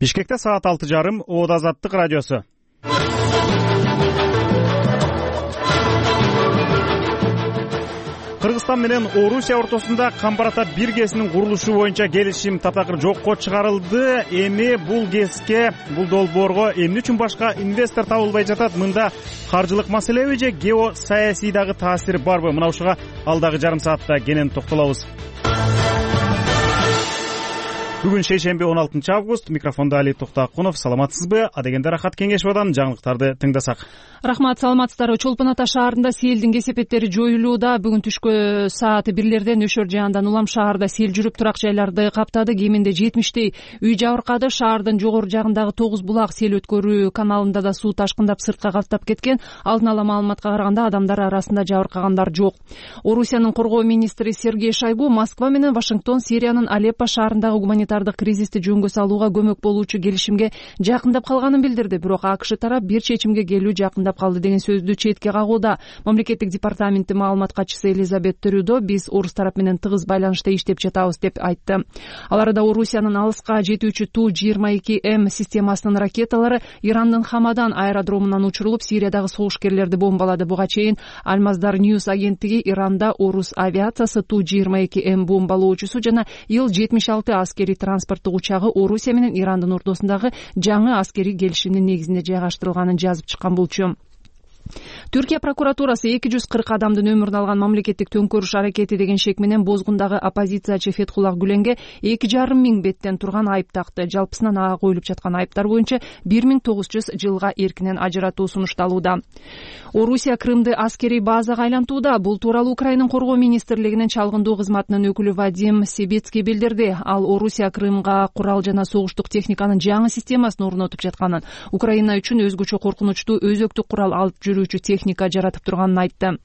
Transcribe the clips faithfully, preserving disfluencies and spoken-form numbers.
Бишкекте саат алты жарым. Оод Азаттык радиосу. Кыргызстан менен Орусия ортосунда Камбар-Ата бир ГЭСинин курулушу боюнча келишим таптакыр жокко чыгарылды. Эми бул ГЭСке, бул долбоорго эмне үчүн башка инвестор табылбай жатат? Мында каржылык маселеби же геосаясий дагы таасири барбы? Мына ушуга алдагы жарым саатта кенен токтолобуз. Бүгүн шейшемби он алтынчы август. Микрофонда Али Токтоакунов. Саламатсызбы? Адегенде Рахат Кеңешбадан жаңылыктарды тыңдасак. Рахмат, саламатсыздарбы. Чолпон Ата шаарында селдин кесепеттери жоюлууда. Бүгүн түшкө саат бирлерде Нөшөр жаандан улам шаарда сел жүрүп турак жайларды каптады. Кеминде жетимиштей үй жабыркады. Шаардын жогору жагындагы тогуз булак сел өткөрүү каналында да суу ташкындап сыртка каптап кеткен. Алдын ала маалыматка караганда адамдар арасында жабыркагандар жок. Орусиянын коргоо министри Сергей Шойгу Москва менен Вашингтон Сириянын Алеппо шаарындагы гуманитардык кризисти жөнгө салууга көмөк болуучу келишимге жакындап калганын билдирди. Бирок АКШ тарап бир чечимге келүү жакындап калды деген сөздү четке кагууда. Мамлекеттик департаменти маалымат катчысы Элизабет Трюдо биз орус тарап менен тыгыз байланышта иштеп жатабыз деп айтты. Ал арада Орусиянын алыска жетүүчү Ту жыйырма эки М системасынын ракеталары Ирандын Хамадан аэродромунан учурулуп, Сириядагы согушкерлерди бомбалады. Буга чейин Алмаздар Ньюс агенттиги Иранда орус авиациясы Ту жыйырма эки М бомбалоочусу жана Ил жетимиш алты аскерий транспорттук учагы Орусия менен Ирандын ортосундагы жаңы аскерий келишимдин негизинде жайгаштырылганын жазып чыккан болчу. Түркия прокуратурасы эки жүз кырк адамдын өмүрүн алган мамлекеттик төңкөрүш аракети деген шек менен бозгундагы оппозициячы Фетхуллах Гүленге эки жарым миң беттен турган айып такты. Жалпысынан ага коюлуп жаткан айыптар боюнча бир миң тогуз жүз жылга эркинен ажыратуу сунушталууда. Орусия Крымды аскерий базага айлантууда. Бул тууралуу Украинанын коргоо министрлигинин чалгындоо кызматынын өкүлү Вадим Себецкий билдирди. Ал Орусия Крымга курал жана согуштук техниканын жаңы системасын орнотуп жатканын, Украина үчүн өзгөчө коркунучтуу өзөктүк курал алып жүрүүчү техника жаратып турганын айтты.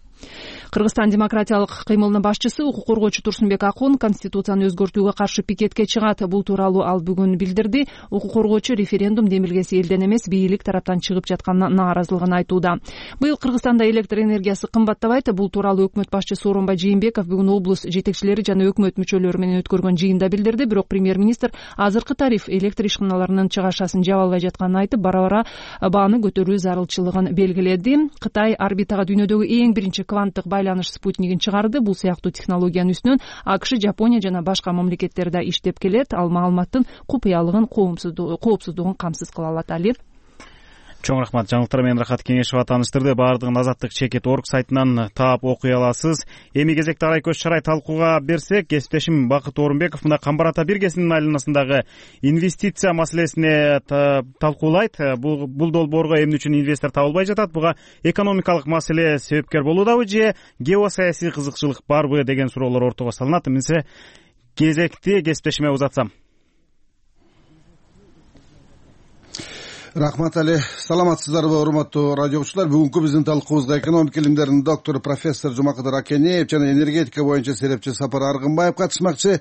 Кыргызстан демократиялык кыймылынын башчысы укук коргоочу Турсунбек Акун конституцияны өзгөртүүгө каршы пикетке чыгат. Бул тууралуу ал бүгүн билдирди. Укук коргоочу референдум демилгеси элден эмес, бийлик тараптан чыгып жатканына нааразылыгын айтууда. Быйыл Кыргызстанда электр энергиясы кымбаттабайт. Бул тууралуу өкмөт башчысы Сооронбай Жээнбеков бүгүн облус жетекчилери жана өкмөт мүчөлөрү менен өткөргөн жыйында билдирди. Бирок премьер-министр азыркы тариф электр ишканаларынын чыгашасын жаба албай жатканын айтып, бара-бара бааны көтөрүү зарылчылыгын белгиледи. Кытай орбитага дүйнөдөгү эң биринчи кванттык байланыш спутнигин чыгарды. Бул сыяктуу технологиянын үстүнөн АКШ, Жапония жана башка мамлекеттер да иштеп келет. Ал маалыматтын купуялыгын, коопсуздугун камсыз кыла алат. Али. Чоң рахмат. Жаңылыктар менен Рахат Кеңешова тааныштырды. Баардыгын Азаттык чекит орг сайтынан таап окуй аласыз. Эми кезекте арай көз чарай талкууга берсек, кесиптешим Бакыт Орунбеков мына Камбар-Ата бир ГЭСинин айланасындагы инвестиция маселесине талкуулайт. Бул бул долбоорго эмне үчүн инвестор табылбай жатат? Буга экономикалык маселе себепкер болуудабы же геосаясий кызыкчылык барбы деген суроолор ортого салынат. Эмесе кезекти кесиптешиме узатсам. Рахмат Али. Саламатсыздарбы, урматтуу радио окуучулар. Бүгүнкү биздин талкуубузга экономика илимдеринин доктору профессор Жумакадыр Акенеев жана энергетика боюнча серепчи Сапар Аргынбаев катышмакчы.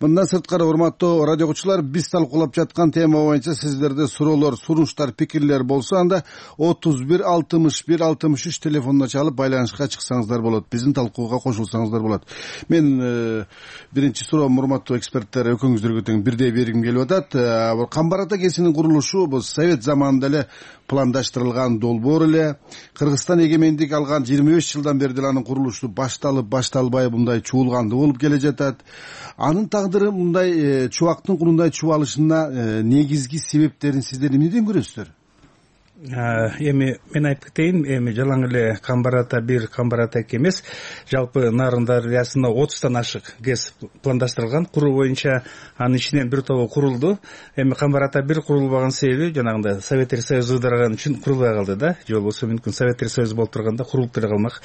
Мындан сырткары, урматтуу радио окуучулар, биз талкуулап жаткан тема боюнча сиздерде суроолор, сунуштар, пикирлер болсо, анда отуз бир алтымыш бир алтымыш үч телефонуна чалып байланышка чыксаңыздар болот. Биздин талкууга кошулсаңыздар болот. Мен э, биринчи суроом, урматтуу эксперттер, экөөңүздөргө тең бирдей бергим келип атат. Камбар-Ата ГЭСинин курулушу бул Совет заманында эле пландаштырылган долбоор эле. Кыргызстан эгемендик алган жыйырма беш жылдан бери деле анын курулушу башталып башталбай мындай чуулгандуу болуп келе жатат. Анын тагдыры мындай чубактын курундай чубалышына негизги себептерин сиздер эмнеден көрөсүздөр? Эми мен айтып кетейин, эми жалаң эле Камбар-Ата бир, Камбар-Ата эки эмес, жалпы Нарын дарыясында отуздан ашык ГЭС пландаштырылган. Куруу боюнча анын ичинен бир тобу курулду. Эми Камбар-Ата бир курулбаган себеби жанагындай Советтер Союзу ыдыраган үчүн курулбай калды да. Же болбосо мүмкүн Советтер Союзу болуп турганда курулуп деле калмак.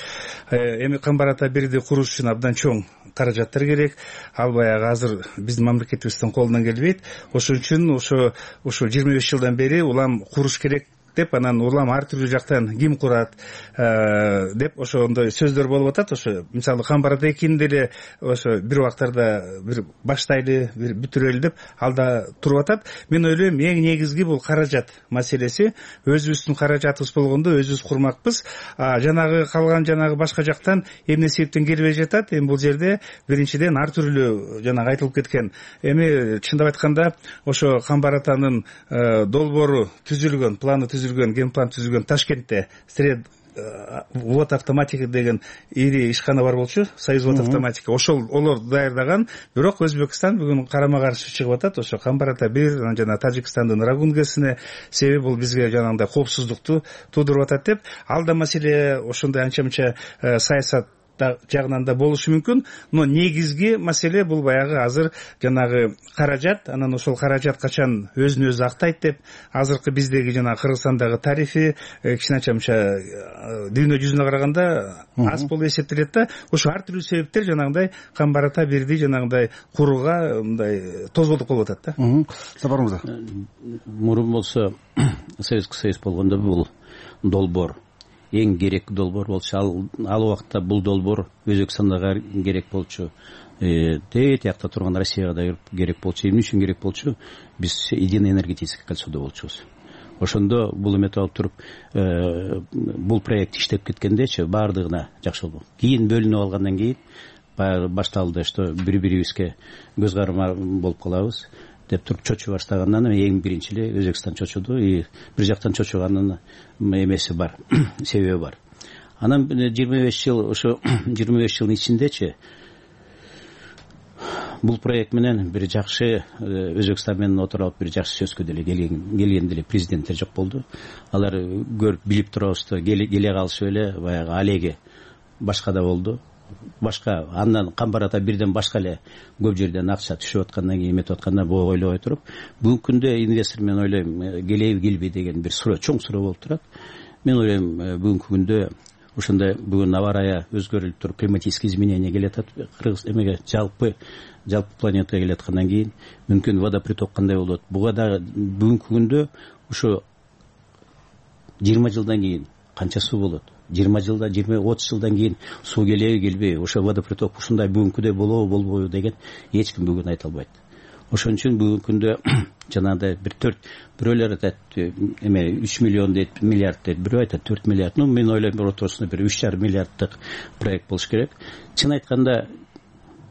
Эми Камбар-Ата бирди куруш үчүн абдан чоң каражаттар керек. Ал баягы азыр биздин мамлекетибиздин колунан келбейт. Ошон үчүн ошо ошо жыйырма беш жылдан бери улам куруш керек деп анан улам ар түрдүү жактан ким курат деп ошондой сөздөр болуп атат. Ошо мисалы Камбарата экини деле ошо бир убактарда бир баштайлы, бир бүтүрөлү деп алда туруп атат. Мен ойлойм эң негизги бул каражат маселеси. Өзүбүздүн каражатыбыз болгондо өзүбүз курмакпыз. Жанагы калган жанагы башка жактан эмне себептен келбей жатат? Эми бул жерде биринчиден ар түрлүү жанагы айтылып кеткен. Эми чындап айтканда ошо Камбаратанын долбоору түзүлгөн, планы түзүлгөн, ген план түзүлгөн Ташкентте сред вод автоматика деген ири ишкана бар болчу, Союз вод автоматика. Ошол олор даярдаган, бирок Өзбекстан бүгүн карама каршы чыгып атат. Ошо Камбарата бир жана Тажикстандын Рагунгесине, себеби бул бизге жанагындай коопсуздукту туудуруп атат деп. Ал да маселе ошондой анча-мынча саясат жагынан да болушу мүмкүн. Но негизги маселе бул баягы азыр жанагы каражат. Анан ошол каражат качан өзүн өзү актайт деп азыркы биздеги жанагы Кыргызстандагы тарифи кичине анча-мынча дүйнө жүзүнө караганда аз болуп эсептелет да. Ошо ар түрдүү себептер жанагындай Камбарата бирди жанагындай курууга мындай тозболдук болуп атат да. Сапар мырза, мурун болсо Советский Союз болгондо бул долбоор эң керек долбоор болчу. Ал ал убакта бул долбоор Өзбекстанга керек болчу, тээ тиякта турган Россияга да керек болчу. Эмне үчүн керек болчу? Биз единый энергетический кольцодо болчубуз. Ошондо бул эметип алып туруп, бул проект иштеп кеткендечи баардыгына жакшы болду. Кийин бөлүнүп алгандан кийин башталды, что бири-бирибизге көз карама болуп калабыз деп туруп чочуп баштагандан эң биринчи эле Өзбекстан чочуду. И бир жактан чочуганын эмеси бар, себеби бар. Анан жыйырма беш жыл, ошо жыйырма беш жылдын ичиндечи бул проект менен бир жакшы Өзбекстан менен отуруп бир жакшы сөзгө деле келген деле президенттер жок болду. Алар көрүп билип турабызды, келе калышып эле баягы алеги башка да болду. Башка андан Камбарата бирден башка эле көп жерден акча түшүп аткандан кийин эметип атканда бу ойлобой туруп, бүгүнкү күндө инвестор мен ойлойм келеби келбей деген бир суроо, чоң суроо болуп турат. Мен ойлойм бүгүнкү күндө ошондой бүгүн аба ырайы өзгөрүлүп туруп, климатический изменение келет атат. Кыргыз эмеге жалпы жалпы планетага келе аткандан кийин мүмкүн водоприток кандай болот? Буга да бүгүнкү күндө ошо жыйырма жылдан кийин канча суу болот? жыйырма жылда, жыйырма отуз жылдан кийин суу келеби келбей, ошо водоприток ушундай бүгүнкүдөй болобу болбойбу деген эч ким бүгүн айта албайт. Ошон үчүн бүгүнкү күндө жанагындай бир төрт бирөөлөр айтат эме үч миллион дейт, миллиард дейт, бирөө айтат төрт миллиард. Ну мен ойлойм бир ортосунда бир үч жарым миллиарддык проект болуш керек. Чын айтканда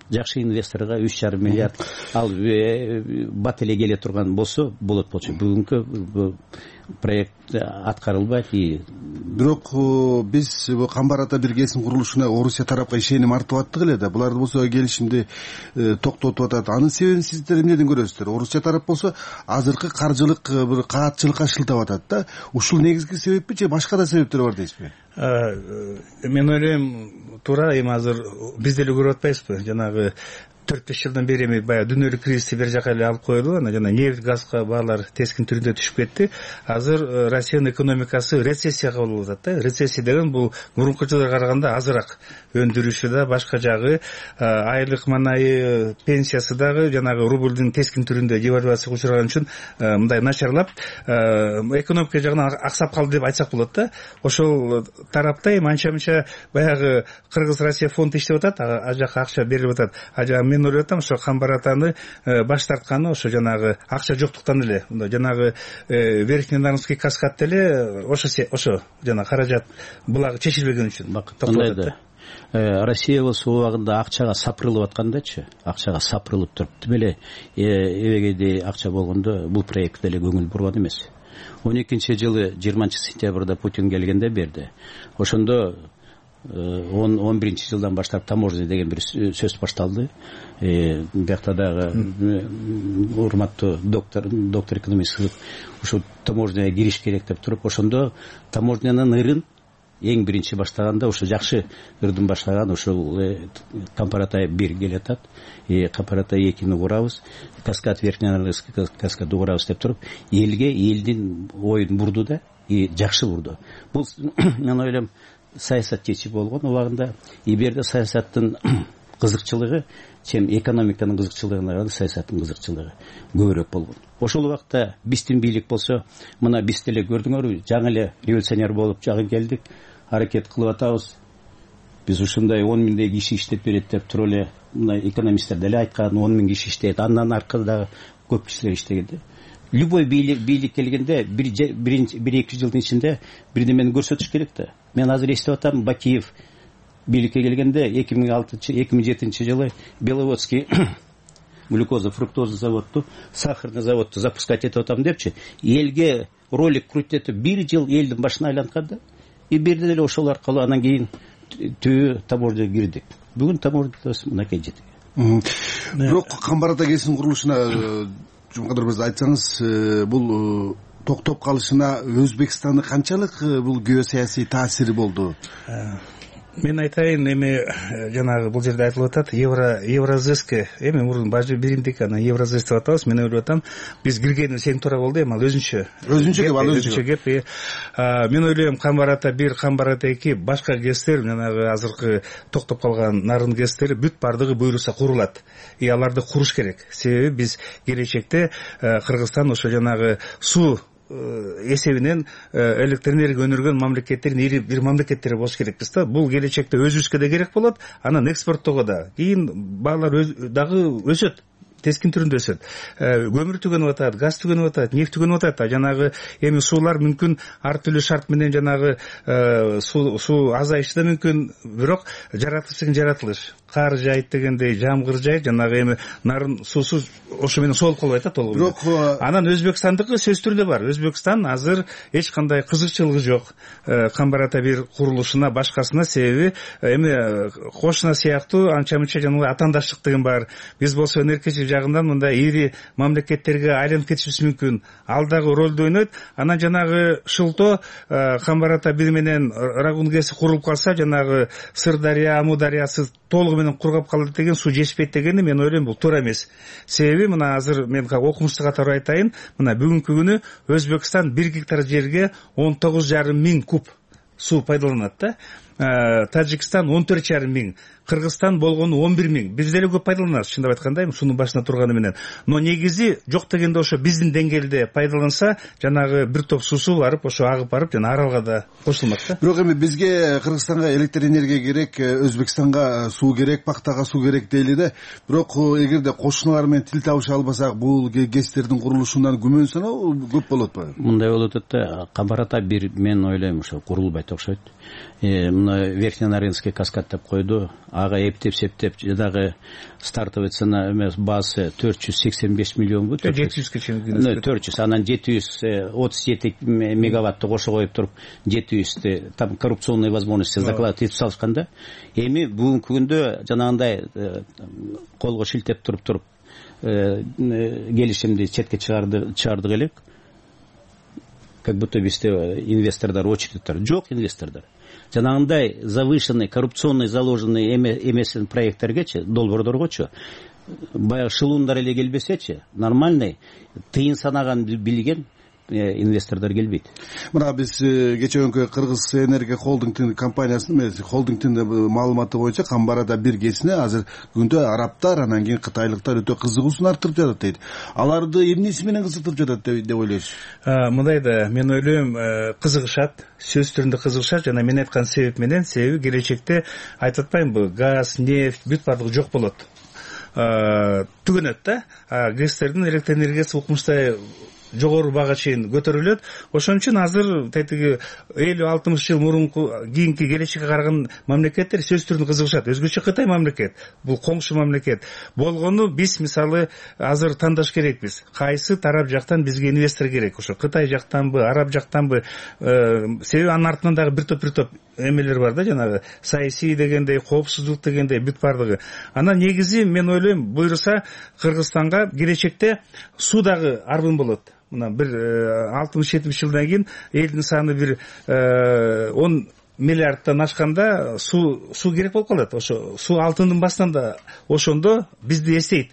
жакшы инвесторго үч жарым миллиард ал бат эле келе турган болсо болот болчу. Бүгүнкү проект аткарылбайт. Бирок биз Камбарата бир КСМ курулушуна Орусия тарапка ишеним артып аттык эле да. Булар болсо келишимди токтотуп атат. Анын себебин сиздер эмнеден көрөсүздөр? Орусия тарап болсо азыркы каржылык бир каатчылыкка шылтап атат да. Ушул негизги себеппи же башка да себептер бар дейсизби? Мен ойлойм туура, эми азыр биз деле көрүп атпайбызбы? Жанагы төрт беш жылдан бери эми баягы дүйнөлүк кризисти бир жака эле алып коелу. Анан жана нефть, газга баалар тескин түрүндө түшүп кетти. Азыр Россиянын экономикасы рецессияга болуп атат да. Рецессия деген бул мурунку жылга караганда азыраак өндүрүшү да, башка жагы айлык манайы, пенсиясы дагы жанагы рублдун тескин түрүндө девальвацияга учураган үчүн мындай начарлап, экономика жагынан аксап калды деп айтсак болот да. Ошол тарапта эми анча-мынча баягы Кыргыз-Россия фонду иштеп атат, ал жака акча берилип атат. А жагы мен ойлоп атам, ошо Камбаратаны баш тартканы ошо жанагы акча жоктуктан эле. Жанагы Верхний Нарынский каскад деле ошо ошо жана каражат булагы чечилбеген үчүн. Россия болсо убагында акчага сапырылып аткандачы, акчага сапырылып туруп эле эбегейдей акча болгондо бул проект деле көңүл бурган эмес. он экинчи жылы жыйырманчы сентябрда Путин келгенде берди. Ошондо он биринчи жылдан баштап таможня деген бир сөз башталды. Биякта дагы урматтуу доктор доктор экономист ушу таможняга кириш керек деп туруп, ошондо таможнянын ырын эң биринчи баштаганда ошо жакшы ырдын баштаган ошол Камбарата бир келет атат. Камбарата экини курабыз, каскад Верхний Нарынский каскады курабыз деп туруп, элге элдин оюн бурду да, и жакшы бурду. Бул мен ойлойм саясат чечип болгон убагында. И бу жерде саясаттын кызыкчылыгы чем экономиканын кызыкчылыгына караганда саясаттын кызыкчылыгы көбүрөөк болгон. Ошол убакта биздин бийлик болсо, мына биз деле көрдүңөрбү, жаңы эле революционер болуп жагы келдик, аракет кылып атабыз. Биз ушундай он миңдей киши иштеп берет деп туруп эле мына экономисттер деле айткан, он миң киши иштейт. Андан аркада көп кишилер иштегенде. Любой бийлик бийлик келгенде бир бир эки жылдын ичинде бирдемени көрсөтүш керек да. Мен азыр эстеп атам, Бакиев бийликке келгенде эки миң алтынчы эки миң жетинчи жылы Беловодский глюкоза фруктоза заводду, сахарный заводду запускать этип атам депчи, элге ролик крутетип бир жыл элдин башына айланткан да. И бирде деле ошол аркылуу анан кийин түбү таможняга кирдик. Бүгүн таможняда мынакей жетик. Бирок Камбар ата кесин курулушуна Жумакадыр мырза айтсаңыз, бул токтоп калышына Өзбекстандын канчалык бул геосаясий таасири болду? Мен айтайын, эми жанагы бул жерде айтылып атат, евро евразэске, эми мурун бажы биримдик, анан евразэс деп атабыз. Мен ойлоп атам, биз киргенибиз эң туура болду, эми ал өзүнчө. Өзүнчө кеп, ал өзүнчө кеп. Мен ойлойм, Камбар ата бир, Камбар ата эки, башка гестер, жанагы азыркы токтоп калган нарын гестери бүт бардыгы буйруса курулат. И аларды куруш керек. Себеби биз келечекте Кыргызстан ошо жанагы суу эсебинен электр энергия өнүргөн мамлекеттердин ири бир мамлекеттери болуш керекпиз да. Бул келечекте өзүбүзгө да керек болот, анан экспорттоого да. Кийин баалар дагы өсөт. Тескин түрүндө өсөт. Көмүр түгөнүп атат, газ түгөнүп атат, нефть түгөнүп атат. Жанагы эми суулар мүмкүн ар түрдүү шарт менен жанагы суу суу азайышы да мүмкүн, бирок жаратылыш деген жаратылыш. Кар жайт дегендей, жамгыр жайт, жанагы эми нарын суусу ошо менен соолуп калбайт да толугу. Бирок анан Өзбекстандыкы сөз түрдө бар. Өзбекстан азыр эч кандай кызыкчылыгы жок Камбар ата бир курулушуна, башкасына, себеби эми кошуна сыяктуу анча-мынча жанагы атаандаштык деген бар. Биз болсо өнеркәсип жагынан мындай ири мамлекеттерге айланып кетишибиз мүмкүн. Ал дагы ролду ойнойт. Анан жанагы шылто Камбар ата бир менен Рагунгеси курулуп калса, жанагы Сырдария, Амудариясы толугу менен кургап калат деген, суу жетишпейт дегени мен ойлойм бул туура эмес. Себеби мына азыр мен окумуштуу катары айтайын, мына бүгүнкү күнү Өзбекстан бир гектар жерге он тогуз жарым миң куб суу пайдаланат да. Тажикстан он төрт жарым миң, Кыргызстан болгону он бир миң. Биз деле көп пайдаланабыз, чындап айтканда, суунун башына турганы менен. Но негизи жок дегенде ошо биздин деңгээлде пайдаланса, жанагы бир топ суусу барып, ошо агып барып, жана аралга да кошулмак да. Бирок эми бизге Кыргызстанга электр энергия керек, Өзбекстанга суу керек, пактага суу керек дейли да. Бирок эгерде кошуналар менен тил табыша албасак, бул гестердин курулушунан күмөн саноо көп болот го. Мындай болот да, Камбар ата бир, мен ойлойм, ошо курулбайт окшойт. Мына Верхненаринский каскад деп койду, ага эптеп-септеп, жадагы стартовый цена эмес, базасы төрт жүз сексен беш миллион бу. жети жүзгө чейин. төрт жүз, анан жети жүз отуз жети мегаваттты кошо коюп туруп, жети жүздү там коррупционный возможности закладывать этип салышканда, эми бүгүнкү күндө жанагындай колго шилтеп туруп туруп келишимди четке чыгарды чыгардык элек. Как будто бизде инвестордор, очередьтер жок, инвестордор. Жанагындай завышенный, коррупционный заложенный эмесин проекттергечи, долбоордоргочу, баягы шылуундар эле келбесечи, нормальный, тыйын санаган билген инвестордор келбейт. Мына биз кече күнкү Кыргыз энергия холдингдин компаниясынын холдингдин маалыматы боюнча Камбар ата бир кесине азыр күндө арабтар, анан кийин кытайлыктар өтө кызыгуусун арттырып жатат дейт. Аларды эмнеси менен кызыктырып жатат деп ойлойсуз? Мындай да, мен ойлойм, кызыгышат, сөз түрүндө кызыгышат, жана мен айткан себеп менен, себеби келечекте айтып атпаймынбы, газ, нефть бүт бардыгы жок болот. Түгөнөт да, гестердин электр энергиясы укмуштай жогору бага чейин көтөрүлөт. Ошон үчүн азыр тетиги элүү алтымыш жыл мурунку кийинки келечекке караган мамлекеттер сөз түрүндө кызыгышат. Өзгөчө Кытай мамлекет, бул коңшу мамлекет болгону биз мисалы азыр тандаш керекпиз. Кайсы тарап жактан бизге инвестор керек? Ошо Кытай жактанбы, араб жактанбы? Себеби анын артынан дагы бир топ бир топ эмелер бар да, жанагы саясий дегендей, коопсуздук дегендей бүт бардыгы. Анан негизи мен ойлойм, буйруса Кыргызстанга келечекте суу дагы арбын болот. Мына бир алтымыш жетимиш жылдан кийин элдин саны бир он миллиардтан ашканда суу суу керек болуп калат. Ошо суу алтындын басынан да ошондо бизди эстейт.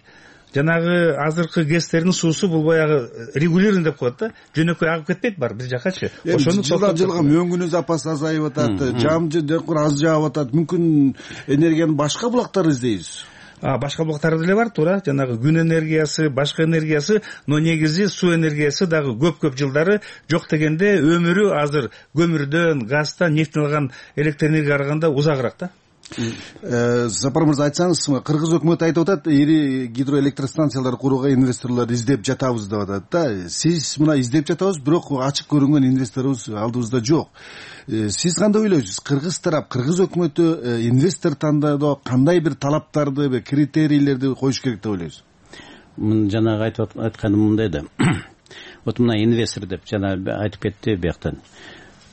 жанагы азыркы гэстердин суусу бул баягы регулированный деп коет да, жөнөкөй агып кетпейт бар бир жаккачы. Ошону жылдан жылга мөңгүнү запас азайып атат, жам аз жаап атат. Мүмкүн энергияны башка булактар издейбиз. Башка булактар деле бар, туура. Жанагы күн энергиясы, башка энергиясы, но негизи суу энергиясы дагы көп-көп жылдары жок дегенде өмүрү азыр көмүрдөн, газдан, нефтен алган электр энергияга караганда узагыраак да. Сапар мырза, айтсаңыз, кыргыз өкмөтү айтып атат, ири гидроэлектростанциялар курууга инвесторлор издеп жатабыз деп атат да. Сиз мына издеп жатабыз, бирок ачык көрүнгөн инвесторубуз алдыбызда жок. Сиз кандай ойлойсуз? Кыргыз тарап, кыргыз өкмөтү инвестор тандоодо кандай бир талаптарды, критерийлерди коюш керек деп ойлойсуз? Мен жанагы айтып атканым мындай да. Вот мына инвестор деп жана айтып кетти бияктан.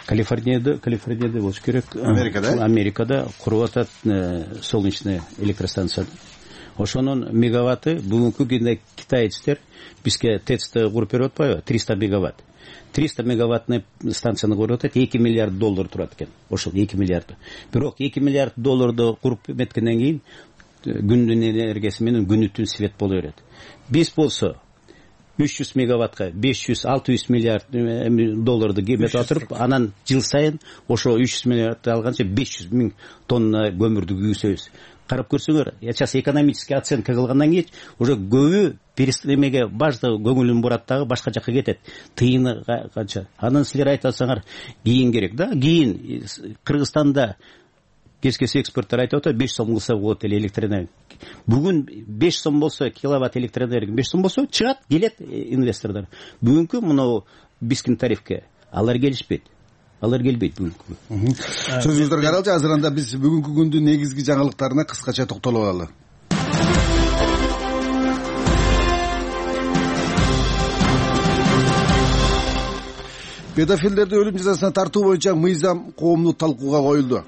Калифорнияда, Калифорнияда болуш керек. Америкада? Америкада куруп атат солнечный электростанция. Ошонун мегаватты бүгүнкү күндө китайцтер бизге ТЭЦ куруп берип атпайбы? триста мегаватт. триста мегаваттный станцияны куруп атат, эки миллиард доллар турат экен. Ошол эки миллиард. Бирок эки миллиард долларды куруп эметкенден кийин күндүн энергиясы менен күнүтүн свет боло берет. Биз болсо үч жүз мегаваттка беш жүз алты жүз миллиард долларды кемет отуруп, анан жыл сайын ошо үч жүз миллиардты алганча беш жүз миң тонна көмүрдү күйгүзөбүз. Карап көрсөңөр, сейчас экономический оценка кылгандан кийин уже көбү перестремеге башта көңүлүн бурат дагы башка жакка кетет. Тыйыны канча. Анан силер айтасаңар, кийин керек да. Кийин Кыргызстанда кез-кез эксперттер айтып атат, беш сом кылса болот эле электр энергия. Бүгүн беш сом болсо, киловатт электр энергия беш сом болсо, чыгат, келет инвесторлор. Бүгүнкү мынау бискин тарифке алар келишпейт. Алар келбейт бүгүнкү. Сөзүңүздөргө каралчы, азыр анда биз бүгүнкү күндүн негизги жаңылыктарына кыскача токтолуп алалы. Педофилдерди өлүм жазасына тартуу боюнча мыйзам коомдук талкууга коюлду.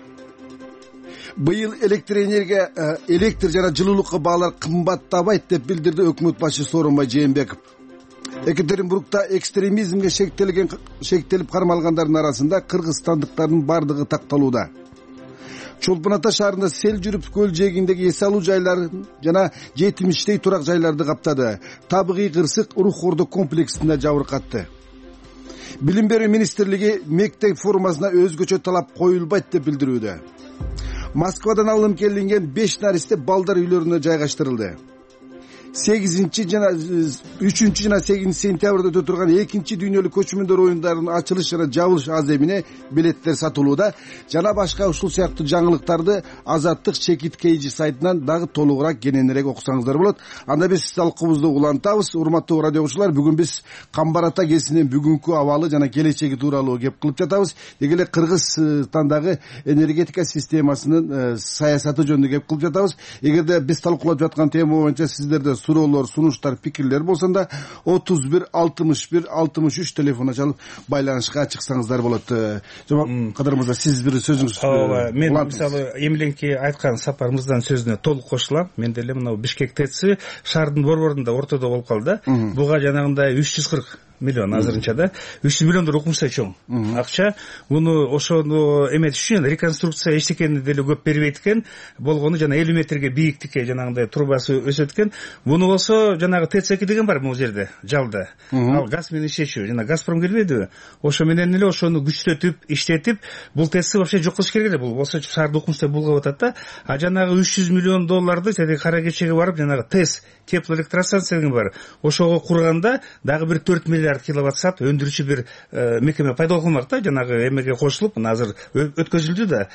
Быйыл электр энергия, электр жана жылуулукка баалар кымбаттабайт деп билдирди өкмөт башчы Сооронбай Жээнбеков. Екатеринбургда экстремизмге шектелген шектелип кармалгандардын арасында кыргызстандыктардын бардыгы такталууда. Чолпон Ата шаарында сел жүрүп көл жээгиндеги эс алуу жайлары жана жетимиштей турак жайларды каптады. Табигый кырсык Рух Ордо комплексинде жабыркатты. Билим берүү министрлиги мектеп формасына өзгөчө талап коюлбайт деп билдирүүдө. Москвадан алынып келинген беш наристе балдар үйлөрүнө жайгаштырылды. сегизинчи жана үчүнчү жана сегизинчи сентябрда өтө турган экинчи дүйнөлүк көчмөндөр оюндарынын ачылыш жана жабылыш аземине билеттер сатылууда. Жана башка ушул сыяктуу жаңылыктарды Азаттык Чекит Кейжи сайтынан дагы толугураак кененирээк окусаңыздар болот. Анда биз талкуубузду улантабыз. Урматтуу радио окуучулар, бүгүн биз Камбар Ата кесинин бүгүнкү абалы жана келечеги тууралуу кеп кылып жатабыз. Деги эле Кыргызстандагы энергетика системасынын саясаты жөнүндө кеп кылып жатабыз. Эгерде биз талкуулап жаткан тема боюнча сиздерде суроолор, сунуштар, пикирлер болсонда отуз бир алтымыш бир алтымыш үч телефонуна чалып байланышка чыксаңыздар болот. Жомарт Кадыр мырза, сиз бир сөзүңүз. Ооба, мен мисалы эмиленки айткан Сапар мырзанын сөзүнө толук кошулам. Мен деле мына Бишкек ТЭЦи шаардын борборунда ортодо болуп калды. Буга жанагындай үч жүз кырк миллион азырынча да үч жүз миллиондор укмуштай чоң акча. Муну ошону эметиш үчүн реконструкция эчтекени деле көп бербейт экен. Болгону жана элүү метрге бийиктикке жанагындай трубасы өсөт экен. Муну болсо жанагы ТЭЦ эки деген бар бул жерде, жалда. Ал газ менен иштечү. Жана Газпром келбейдиби? Ошо менен эле ошону күчтөтүп, иштетип, бул ТЭЦти вообще жок кылыш керек эле. Бул болсо шаарды укмуштай булгап атат да. А жанагы үч жүз миллион долларды тиги кара кечеге барып жанагы ТЭЦ теплоэлектростанция деген бар. Ошого курганда дагы бир төрт миллиард киловатт саат өндүрүүчү бир мекеме пайда кылмак да, жанагы эмеге кошулуп, мына азыр өткөзүлдү да,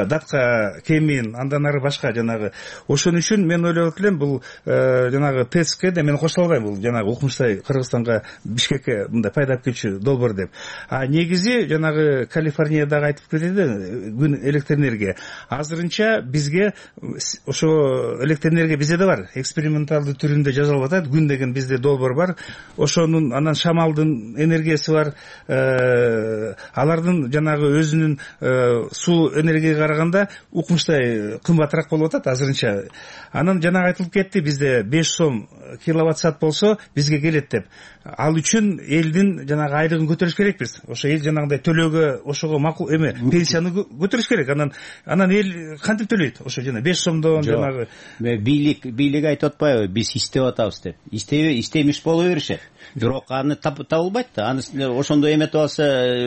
Датка, Кемин, андан ары башка жанагы. Ошон үчүн мен ойлоп элем, бул жанагы ТЭЦке да мен кошула албайм, бул жанагы укмуштай Кыргызстанга, Бишкекке мындай пайда алып келчү долбоор деп. А негизи жанагы Калифорниядагы айтып кетти күн электр энергия. Азырынча бизге ошо электр энергия бизде да бар, эксперименталдуу түрүндө жасалып атат. Күн деген бизде долбоор бар. Ошонун анан шамалдын энергиясы бар, алардын жанагы өзүнүн суу энергияга караганда укмуштай кымбатыраак болуп атат азырынча. Анан жанагы айтылып кетти, бизде беш сом киловатт саат болсо бизге келет деп. Ал үчүн элдин жанагы айлыгын көтөрүш керекпиз. Ошо эл жанагындай төлөөгө, ошого макул эме пенсияны көтөрүш керек. Анан анан эл кантип төлөйт? Ошо жана беш сомдон жанагы бийлик бийлик айтып атпайбы, биз иштеп атабыз деп. Иштебей иштемиш боло беришет. Бирок аны табылбайт да. Аны ошондой эметип алса,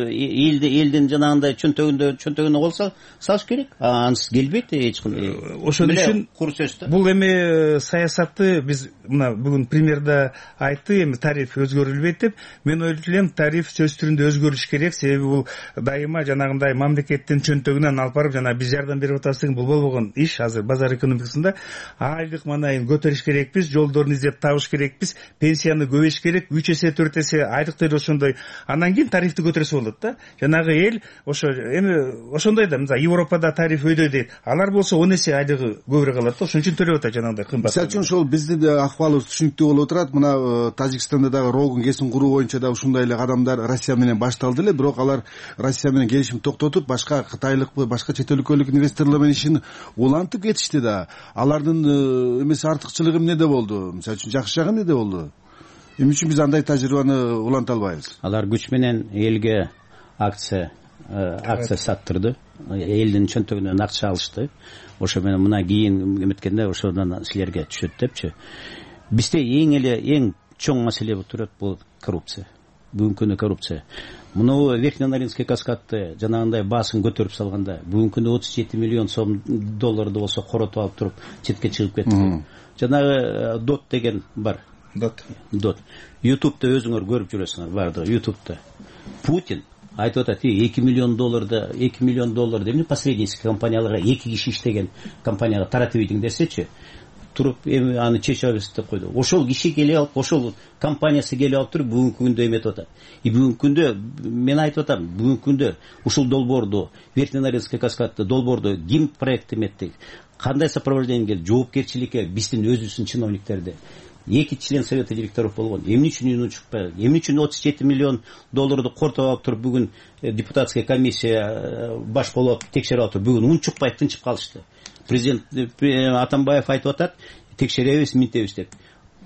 элди элдин жанагындай чөнтөгүндө чөнтөгүнө кол салыш керек. Ансыз келбейт эч кандай. Ошон үчүн кур сөз да. Бул эми саясатты биз мына бүгүн премьерда айтты, эми тариф өзгөрүлбөйт деп. Мен ойлойт элем, тариф сөз түрүндө өзгөрүш керек, себеби бул дайыма жанагындай мамлекеттин чөнтөгүнөн алып барып, жана биз жардам берип атабыз деген бул болбогон иш. Азыр базар экономикасында айлык манайын көтөрүш керекпиз, жолдорун издеп табыш керекпиз, пенсияны көбөйүш керек, үч эсе төрт эсе айлыктыр ошондой. Андан кийин тарифти көтөрсө болот да. Жанагы эл ошо эми ошондой да, мисалы Европада тариф өйдө дейт. Алар болсо он эсе айлыгы көбүрөөк алат да, ошон үчүн төлөп атат жанагындай кымбат. Мисалы үчүн ошол биздин акыбалыбыз түшүнүктүү болуп турат. Мына Тажикстанда дагы Рогун кесин куруу боюнча да ушундай эле кадамдар Россия менен башталды эле, бирок алар Россия менен келишим токтотуп, башка кытайлыкпы, башка чет өлкөлүк инвесторлор менен ишин улантып кетишти да. Алардын эмеси артыкчылыгы эмнеде болду? Мисалы үчүн жакшы жагы эмнеде болду? Эмне үчүн биз андай тажрыйбаны уланта албайбыз? Алар күч менен элге акция акция саттырды, элдин чөнтөгүнөн акча алышты. Ошо менен мына кийин эметкенде ошондон силерге түшөт депчи. Бизде эң эле эң чоң маселе болуп турат, бул коррупция. Бүгүнкү күнү коррупция. Мына Верхненаринский каскадты жанагындай баасын көтөрүп салганда, бүгүнкү күнү отуз жети миллион сом долларды болсо коротуп алып туруп четке чыгып кетти. Жанагы дот деген бар. Дот. Дот. YouTube'да өзүңөр көрүп жүрөсүңөр, бардыгы YouTube'да. Путин айтып атат, эки миллион долларды, эки миллион долларды эмне посреднический компанияларга эки киши иштеген компанияга таратып ийдиң десечи, туруп эми аны чечип алабыз деп койду. Ошол киши келип алып, ошол компаниясы келип алып туруп бүгүнкү күндө эметип атат. И бүгүнкү күндө мен айтып атам, бүгүнкү күндө ушул долбоорду, Верхненаринский каскадты долбоорду ким проект эметти, кандай сопровождение, жоопкерчиликке биздин өзүбүздүн чиновниктерди. Эки член совета директоров болгон. Эмне үчүн үнү чыкпай? Эмне үчүн отуз жети миллион долларды кортуп алып туруп бүгүн депутатская комиссия баш болуп текшерип алып туруп бүгүн үн чыкпай тынчып калышты. Президент Атамбаев айтып атат, текшеребиз, минтебиз деп.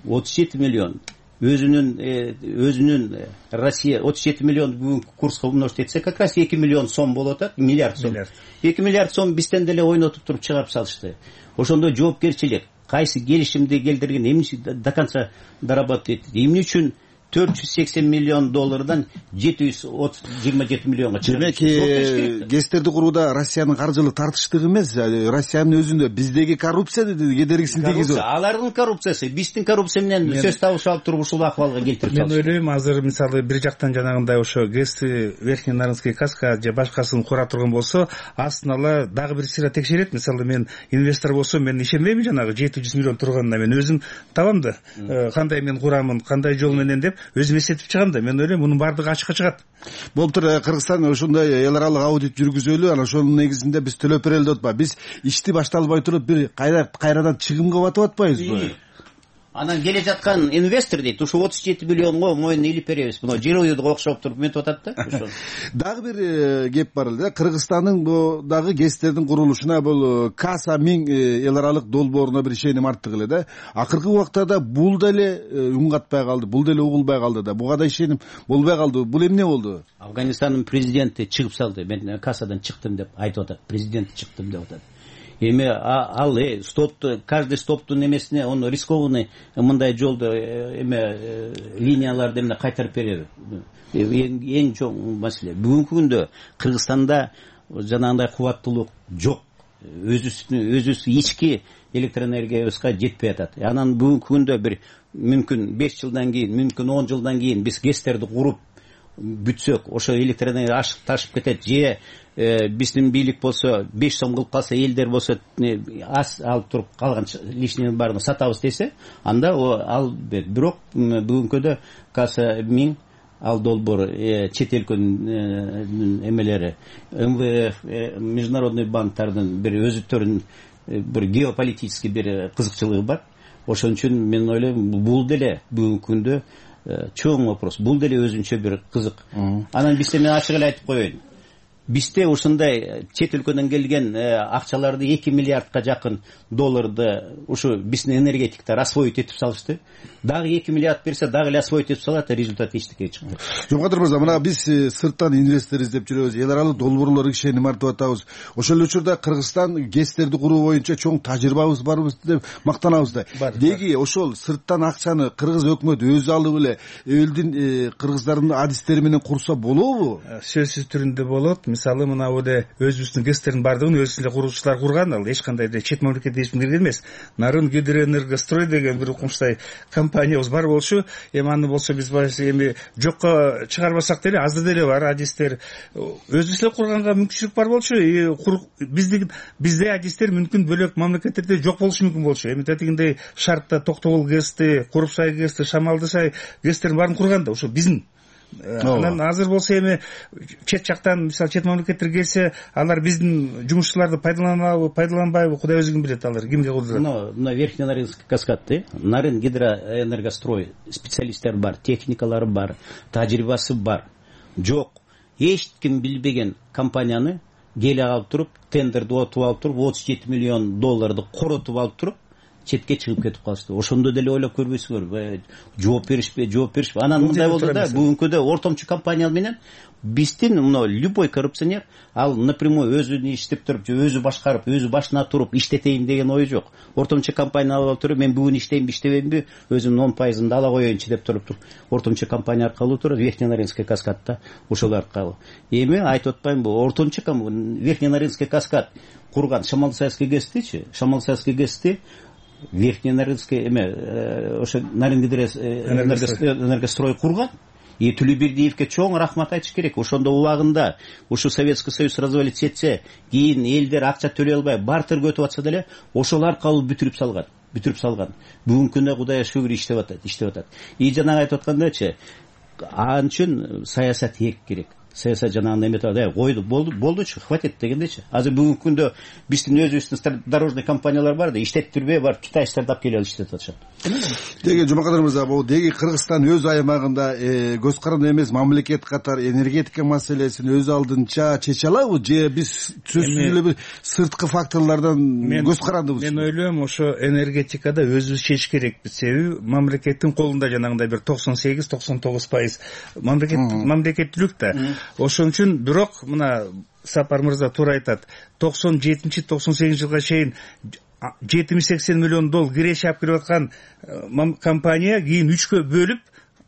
отуз жети миллион өзүнүн өзүнүн Россия отуз жети миллион бүгүн курска умножить этсе, как раз эки миллион сом болуп атат, миллиард сом. эки миллиард сом бизден деле ойнотуп туруп чыгарып салышты. Ошондо жоопкерчилик, кайсы келишимди келтирген, эмне до конца доработать этти, эмне үчүн төрт жүз сексен миллион доллардан жети жүз жыйырма жети миллионго чыгып. Демек, ГЭСтерди курууда Россиянын каржылык тартыштыгы эмес, Россиянын өзүндө биздеги коррупция кедергисин тийгизип. Алардын коррупциясы, биздин коррупция менен сөз табыш алып туруп ушул акыбалга келтирип салышты. Мен ойлойм, азыр мисалы бир жактан жанагындай ошо ГЭСти, Верхненаринский каскад же башкасын кура турган болсо, астын ала дагы бир сыйра текшерет. Мисалы мен инвестор болсом, мен ишенбейм жанагы жети жүз миллион турганына. Мен өзүм табам да, кандай мен курамын, кандай жол менен деп өзүм эсептеп чыгам да. Мен ойлойм, мунун баардыгы ачыкка чыгат. Болуптур, Кыргызстан ошондой эл аралык аудит жүргүзөлү, анан ошонун негизинде биз төлөп берели деп атпайбы. Биз ишти башталбай туруп бир кайрадан чыгымга батып атпайбызбы? Анан келе жаткан инвестор дейт, ушу отуз жети миллионго моюн илип беребиз. Мына жер уюдуга окшоп туруп метип атат да. Ошо. Дагы бир кеп бар эле. Кыргызстандын бу дагы ГЭСтердин курулушуна бул Каса миң эл аралык долбооруна бир ишеним арттык эле да. Акыркы убактарда бул деле үн катпай калды, бул деле угулбай калды да. Буга да ишеним болбой калды. Бул эмне болду? Афганистандын президенти чыгып салды. Мен Касадан чыктым деп айтып атат. Президент чыктым деп атат. Эми ал э стопту, каждый стоптун эмесине он рискованный мындай жолду эме линияларды эмне кайтарып береби. Эң чоң маселе. Бүгүнкү күндө Кыргызстанда жанагындай кубаттуулук жок. Өзүбүздүн өзүбүз ички электроэнергиябызга жетпей атат. Анан бүгүнкү күндө бир мүмкүн беш жылдан кийин, мүмкүн он жылдан кийин биз ГЭСтерди куруп бүтсөк, ошо электроэнергия ашып ташып кетет. Же биздин бийлик болсо беш сом кылып калса, элдер болсо аз алып туруп калган лишнийни баарын сатабыз десе, анда ал бирок бүгүнкүдө Каса миң ал долбоор чет өлкөнүн эмелери, МВФ, международный банктардын бир өзүттөрүнүн бир геополитический бир кызыкчылыгы бар. Ошон үчүн мен ойлойм, бул деле бүгүнкү күндө чоң вопрос. Бул деле өзүнчө бир кызык. Анан бизде мен ачык эле айтып коеюн. Бизде ушундай чет өлкөдөн келген акчаларды эки миллиардка жакын долларды ушу биздин энергетиктер освоить этип салышты. Дагы эки миллиард берсе, дагы эле освоить этип салат, результат эчтеке чыкпайт. Жомгадыр мырза, мына биз сырттан инвестор издеп жүрөбүз, эл аралык долбоорлор ишеним артып атабыз. Ошол эле учурда Кыргызстан гэстерди куруу боюнча чоң тажрыйбабыз барбыз деп мактанабыз да. Деги ошол сырттан акчаны кыргыз өкмөтү өзү алып эле элдин кыргыздардын адистери менен курса болобу? Сөзсүз түрүндө болот. Мисалы мына эле өзүбүздүн гэстердин бардыгын өзүбүз эле куруучулар курган, ал эч кандай эле чет мамлекет эчим кирген эмес. Нарын Гидроэнергострой деген бир укмуштай компаниябыз бар болчу. Эми аны болсо биз эми жокко чыгарбасак деле азыр деле бар адистер. Өзүбүз эле курганга мүмкүнчүлүк бар болчу. Биздин бизде адистер мүмкүн бөлөк мамлекеттерде жок болушу мүмкүн болчу. Эми тетигиндей шартта Токтогул гэсти, Курупсай гэсти, Шамалдысай гэстерин баарын курган да ошо биздин. Анан азыр болсо эми чет жактан, мисалы чет мамлекеттер келсе, алар биздин жумушчуларды пайдаланабы, пайдаланбайбы, Кудай өзү билет, алар кимге кудурат. Но на Верхний Нарынский каскадты Нарын Гидроэнергострой специалисттер бар, техникалары бар, тажрыйбасы бар. Жок, эч ким билбеген компанияны келе алып туруп, тендерди отуп алып туруп, отуз жети миллион долларды коротуп алып туруп, четке чыгып кетип калышты. Ошондо деле ойлоп көрбөйсүңөр, жооп беришпи, жооп беришпи. Анан мындай болду да, бүгүнкүдө ортомчу компания менен биздин мына любой коррупционер ал напрямую өзүн иштеп туруп, өзү башкарып, өзү башына туруп иштетейин деген ою жок. Ортомчу компания алып туруп, мен бүгүн иштеймби, иштебеймби, өзүмдүн он пайызымды ала коеюнчу деп туруп, ортомчу компания аркылуу турат, Верхний Нарынский каскадта ошол аркылуу. Эми айтып атпаймынбы, ортомчу Верхний Нарынский каскад курган Шамалдысайский гэстичи, Шамалдысайский гэсти Верхний Нарынский эме ошо Нарын Гидроэнергострой курган. И Тулебердиевке чоң рахмат айтыш керек. Ошондо убагында ушу Советский Союз развалиться этсе, кийин элдер акча төлөй албай бартырга өтүп атса деле, ошол аркылуу бүтүрүп салган. Бүтүрүп салган. Бүгүнкү күндө Кудайга шүгүр иштеп атат, иштеп атат. И жанагы айтып аткандачы, ал үчүн саясат эрк керек. Саясат жанагындай эметип, койду, болду, болдучу, хватит дегендечи. Азыр бүгүнкү күндө биздин өзүбүздүн дорожный компаниялар бар да, иштеттирбей бар, китайчтарды алып келип алып иштетип атышат. Деги Жомакадыр мырза, бул деги Кыргызстан өз аймагында көз каранды эмес мамлекет катары энергетика маселесин өз алдынча чече алабы, же биз сөзсүз эле бир сырткы факторлордон көз карандыбыз? Мен ойлойм, ошо энергетикада өзүбүз чечиш керекпиз. Себеби мамлекеттин колунда жанагындай бир токсон сегиз токсон тогуз пайыз мамлекет мамлекеттүүлүк да. Ошон үчүн бирок мына Сапар мырза туура айтат. токсон жетинчи токсон сегизинчи жылга чейин жетимиш сексен миллион доллар киреше алып кирип аткан компания кийин үчкө бөлүп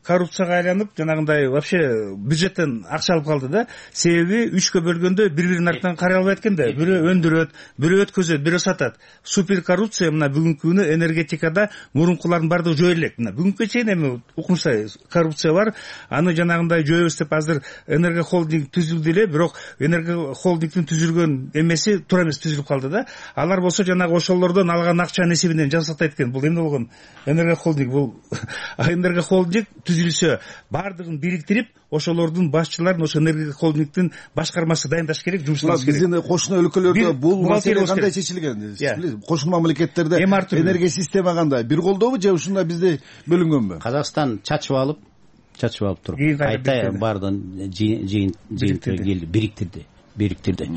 коррупцияга айланып, жанагындай вообще бюджеттен акча алып калды да. Себеби үчкө бөлгөндө бири-биринин артынан карай албайт экен да. Бирөө өндүрөт, бирөө өткөзөт, бирөө сатат. Супер коррупция мына бүгүнкү күнү энергетикада мурункулардын бардыгы жоюла элек. Мына бүгүнкү чейин эми укмуштай коррупция бар. Аны жанагындай жоебуз деп азыр энергохолдинг түзүлдү эле, бирок энергохолдингдин түзүлгөн эмеси туура эмес түзүлүп калды да. Алар болсо жанагы ошолордон алган акчанын эсебинен жасактайт экен. Бул эмне болгон? Энергохолдинг бул энергохолдинг түзүлсө, бардыгын бириктирип, ошолордун башчыларын ошо энергохолдингдин башкармасы дайындаш керек, жумушташ керек. Биздин кошуна өлкөлөрдө бул маселе кандай чечилген? Кошуна мамлекеттерде энергия система кандай? Бир колдобу же ушундай бизде бөлүнгөнбү? Казакстан чачып алып, чачып алып туруп, айтай бардын жыйын келди, бириктирди. бириктирди.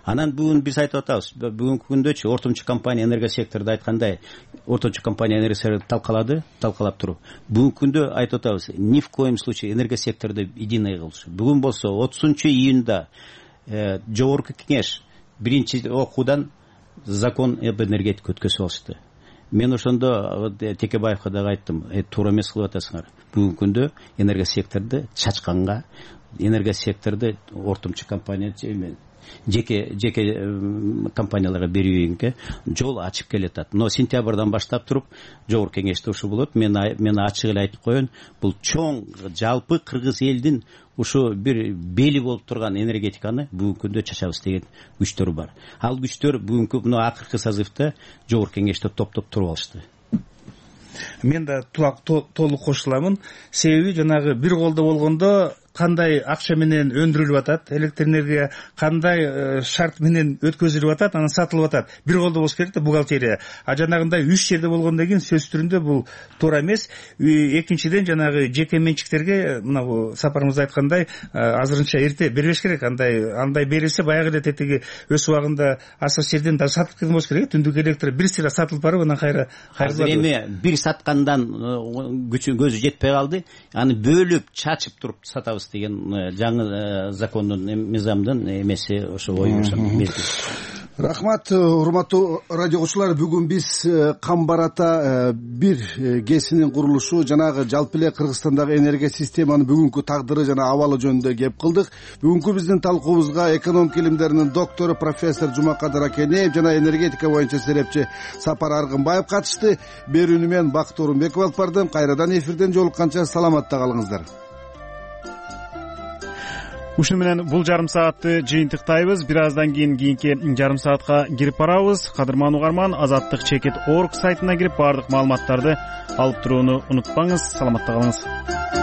Анан бүгүн биз айтып атабыз, бүгүнкү күндөчү ортомчу компания энергосекторду айткандай, ортомчу компания энергосекторду талкалады, талкалап туруп. Бүгүнкү күндө айтып атабыз, ни в коем случае энергосекторду единый кылышы. Бүгүн болсо отузунчу июнда жогорку кеңеш биринчи окуудан закон об энергетике өткөзүп алышты. Мен ошондо Текебаевга дагы айттым, туура эмес кылып атасыңар. Бүгүнкү күндө энергосекторду чачканга, энергосекторду ортомчу компания жеке жеке компанияларга берүүгө жол ачып келатат. Но сентябрдан баштап туруп жогорку кеңеште ушу болот. Мен мен ачык эле айтып коеюн, бул чоң жалпы кыргыз элдин ушу бир бели болуп турган энергетиканы бүгүнкү күндө чачабыз деген күчтөр бар. Ал күчтөр бүгүнкү мына акыркы созывда жогорку кеңеште топтоп туруп алышты. Мен да толук кошуламын. Себеби жанагы бир колдо болгондо кандай акча менен өндүрүлүп атат, электр энергия кандай шарт менен өткөзүлүп атат, анан сатылып атат. Бир колдо болуш керек да бухгалтерия. А жанагындай үч жерде болгондон кийин сөз түрүндө бул туура эмес. Экинчиден жанагы жеке менчиктерге мына бул сапарымызда айткандай азырынча эрте бербеш керек. Андай андай берилсе баягы эле тетиги өз убагында асыр серден да сатылып кеткен болуш керек. Түндүк электр бир сыйра сатылып барып анан кайра азыр эми бир саткандан күчү көзү жетпей калды. Аны бөлүп чачып туруп сатабыз деген жаңы закондун мыйзамдын эмеси ошо ой мезгил. Рахмат, урматтуу радио угуучулар. Бүгүн биз Камбар ата бир гэсинин курулушу, жанагы жалпы эле Кыргызстандагы энергия системанын бүгүнкү тагдыры жана абалы жөнүндө кеп кылдык. Бүгүнкү биздин талкуубузга экономика илимдеринин доктору профессор Жумакадыр Акенеев жана энергетика боюнча серепчи Сапар Аргынбаев катышты. Берүүнү мен Бакыт Орунбеков алып бардым. Кайрадан эфирден жолукканча саламатта калыңыздар. Ушуну менен бул жарым саатты жыйынтыктайбыз. Бир аздан кийин кийинки жарым саатка кирип барабыз. Кадырман угарман, азаттык чекит точка орг сайтына кирип баардык маалыматтарды алып турууну унутпаңыз. Саламатта калыңыз.